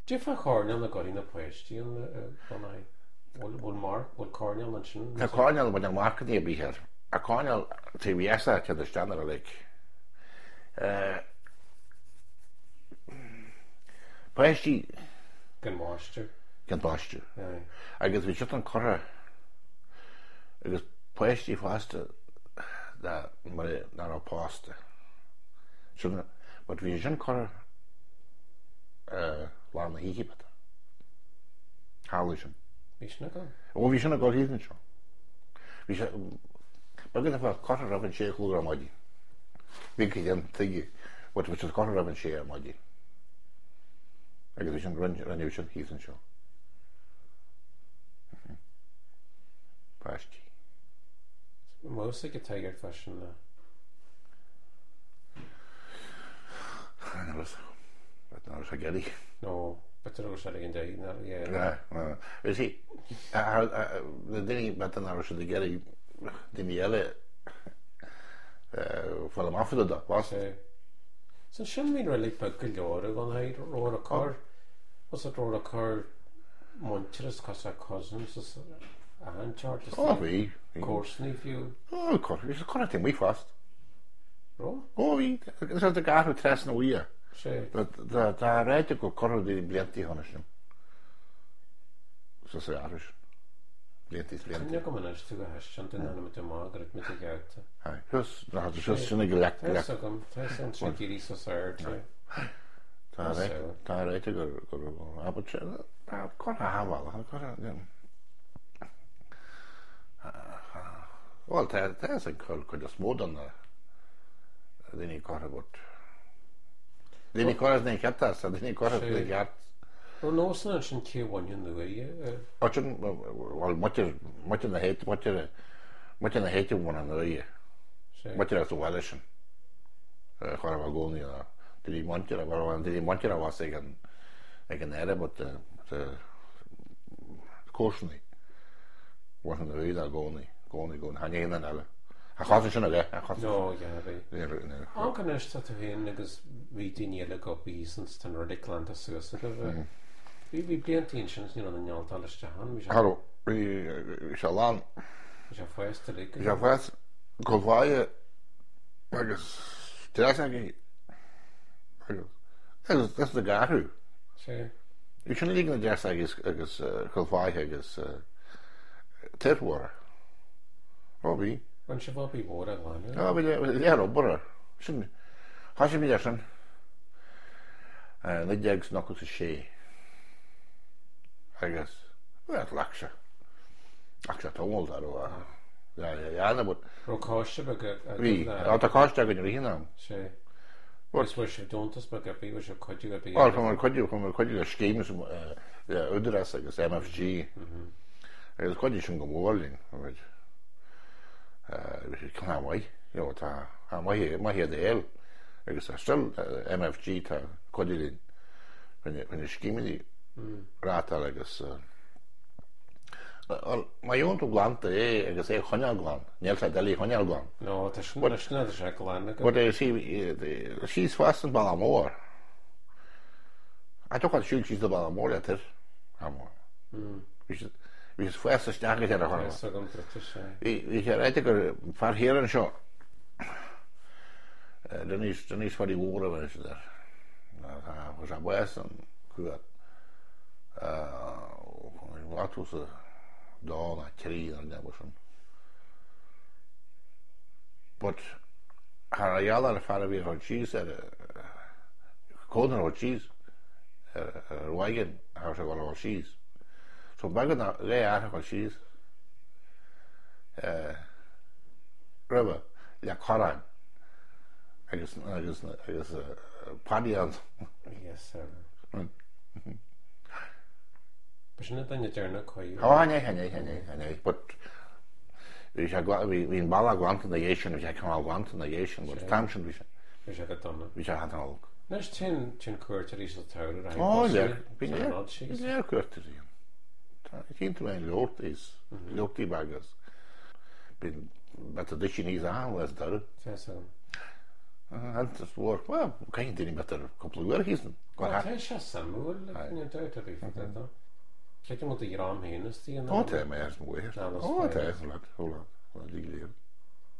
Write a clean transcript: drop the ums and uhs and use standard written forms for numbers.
Cad é fá choirnéal a gcuirfidh na páistí an bunáí? Bhfuil marc, bhfuil coirnéal ansin? Tá coirnéal, bhfuil an marcanna ar bith air. Tá coirnéal taobh dheas de téad isteach ar a leic. Páistí. Gan baisteadh. Gan baisteadh. Agus bhí siad an curtha agus páistí fosta nach raibh pósta. Sin, but bhí sé sin curtha lár na hoíche but tharla sin. Bhí sin ag dul? Ó bhí sin ag dul thíos anseo. Bhí sé, beag a curtha roimh an sé a chlog ar maidin. Bhí go dhéan tuige, but bhí sé curtha roimh an sé ar maidin. Agus bhí sin rinneadh sin thíos anseo. Páistí. Mós ag an tiger freisin le. Ná sé gerí. No, b'fhéidir go raibh sé ag an deireadh ná yeah. You see, na daoine b'fhéidir nach raibh siad ag iarraidh daoine eile fáil amach fá dtaobh de, was? So sin bhí an reilig beag go leor ag an haghaidh raibh a cur, was it raibh a cur muintearas cos cousins is achan tseort is Ó bhí. comharsanaí fiú. Ó cur, bhí sé curtha amuigh fosta. Raibh? Ó bhí, is ag athrú trasna uaidh. Sé. Tá ráite gur curtha daoine blianta cheana sin. Sa sa athrú sin. Blianta is blianta. Cuimhne agam anois tú a thaispeáint den ainm de Margaret mit a ghearrta. Aye, thuas, ná tá sé sin ag leac leac. Tá agam, tá sé an trí dírí sa saor. Tá tá ráite gur gur abair sé tá curtha shábhála curtha Bhuel tá tá an cuid is mó den na daoine curtha but daoine curtha na cearta sa daoine curtha na ceart. Raibh nósanna ansin cé a bhain an uaighe? Ansin bhuel muintir muintir na háite muintir muintir na háite a bhain an uaighe. Muintir as an bhaile sin. Cha raibh i gcónaí ná daoine muintir bhuel daoine muintir a bhas ag an ag an aire but the comharsanaí bhain an uaighe i gcónaí gcónaí gcónaí tha ní haon eile. A chosa sin a bheith a chosa. No, yeah, bhí. Ach anois tá tú féin agus bhí daoine eile ag obair thíos ins an reilig glanta suas agaibh. Bhí bhí blianta ansin is ní raibh na nealtáil isteach ann. Bhí sé. Cha raibh. Bhí sé lán. Bhí sé fásta uilig. Bhí sé fásta go bhfaighe agus dreasachtaí agus agus is na garú. Sea. Bhí sin uilig na dreasachtaí agus agus Cill Fáithe agus toir mhóra. Ó bhí. Bhain sibh obair mhór a ghlanadh. Á bhí lear obair air. Sin thosaigh muid air sin 1996 agus bhuel ghlac sé ghlac sé tamall dá raibh a dhéanamh but Raibh coiste beag agaibh Bhí. Á tá coiste againn i rith an am. Sea. Agus bhfuair sibh deontas beag ar bith, bhfuair sibh cuidiú ar bith? Á fuair muid cuidiú, fuair muid cuidiú le scéim le Údarás agus MFG agus chuidigh sin go mór linn. Bhí sé cineál maith, you know, tá tá maith maith iad a fháil agus tá still MFG tá cuidiú linn chun na scéimeanna reáchtáil agus Bhuel, má gheobhann tú glanta é agus é a choinneáil glan, níl sé doiligh a choinneáil glan. No, tá sin, but, sin tá sé glan agat. But see, síos fosta an Bealach Mór. A tugadh siúl síos an Bealach Mór le toir. Bhí siad bhí siad fásta isteach go deireadh chorma. Tá agam druidte sé. Bhí bhí sé ráite gur fear thiar anseo. Denis Denis Phaddy Mhór a bheith siad air. Tá sé bás an cuar. Bhí tú sa dá ná trí nó neamh sin. But thar a gheall ar fear a bhí chun síos ar cónair chun síos ar ar wagon thar sé go síos. So beag ná lé athar chun síos roimhe le corrán agus agus agus paddy ann. Yes sir. Ba sin an duine deireanach chuige. Ó, chan é, chan é, chan é, chan é, but bhí sé, bhí an bealach glanta ina dhiaidh sin, bhí sé cineál glanta ina dhiaidh sin, but an t-am sin bhí sé. Bhí sé go dona. Bhí sé an-olc. Anois téann, téann cuairteoirí sa tsamhradh ar Ó, lear, bhí lear, bhí lear cuairteoirí ann. Tá, tchíonn tú aon leabhartaí, leabhartaí beaga, bíonn, beidh tú duit níos achan lá sa deireadh. Tá fhios agam. Iontas mhór. Bhuel, caithfidh daoine b'fhéidir cúpla uair a thíos an. Tá sé suimiúil, níl dabht ar bith faoi do. Creidim go bhfuil do dhream féin istigh Ó tá, mé as mo mháthair. Ó tá, lad, ó lad, lad, lad.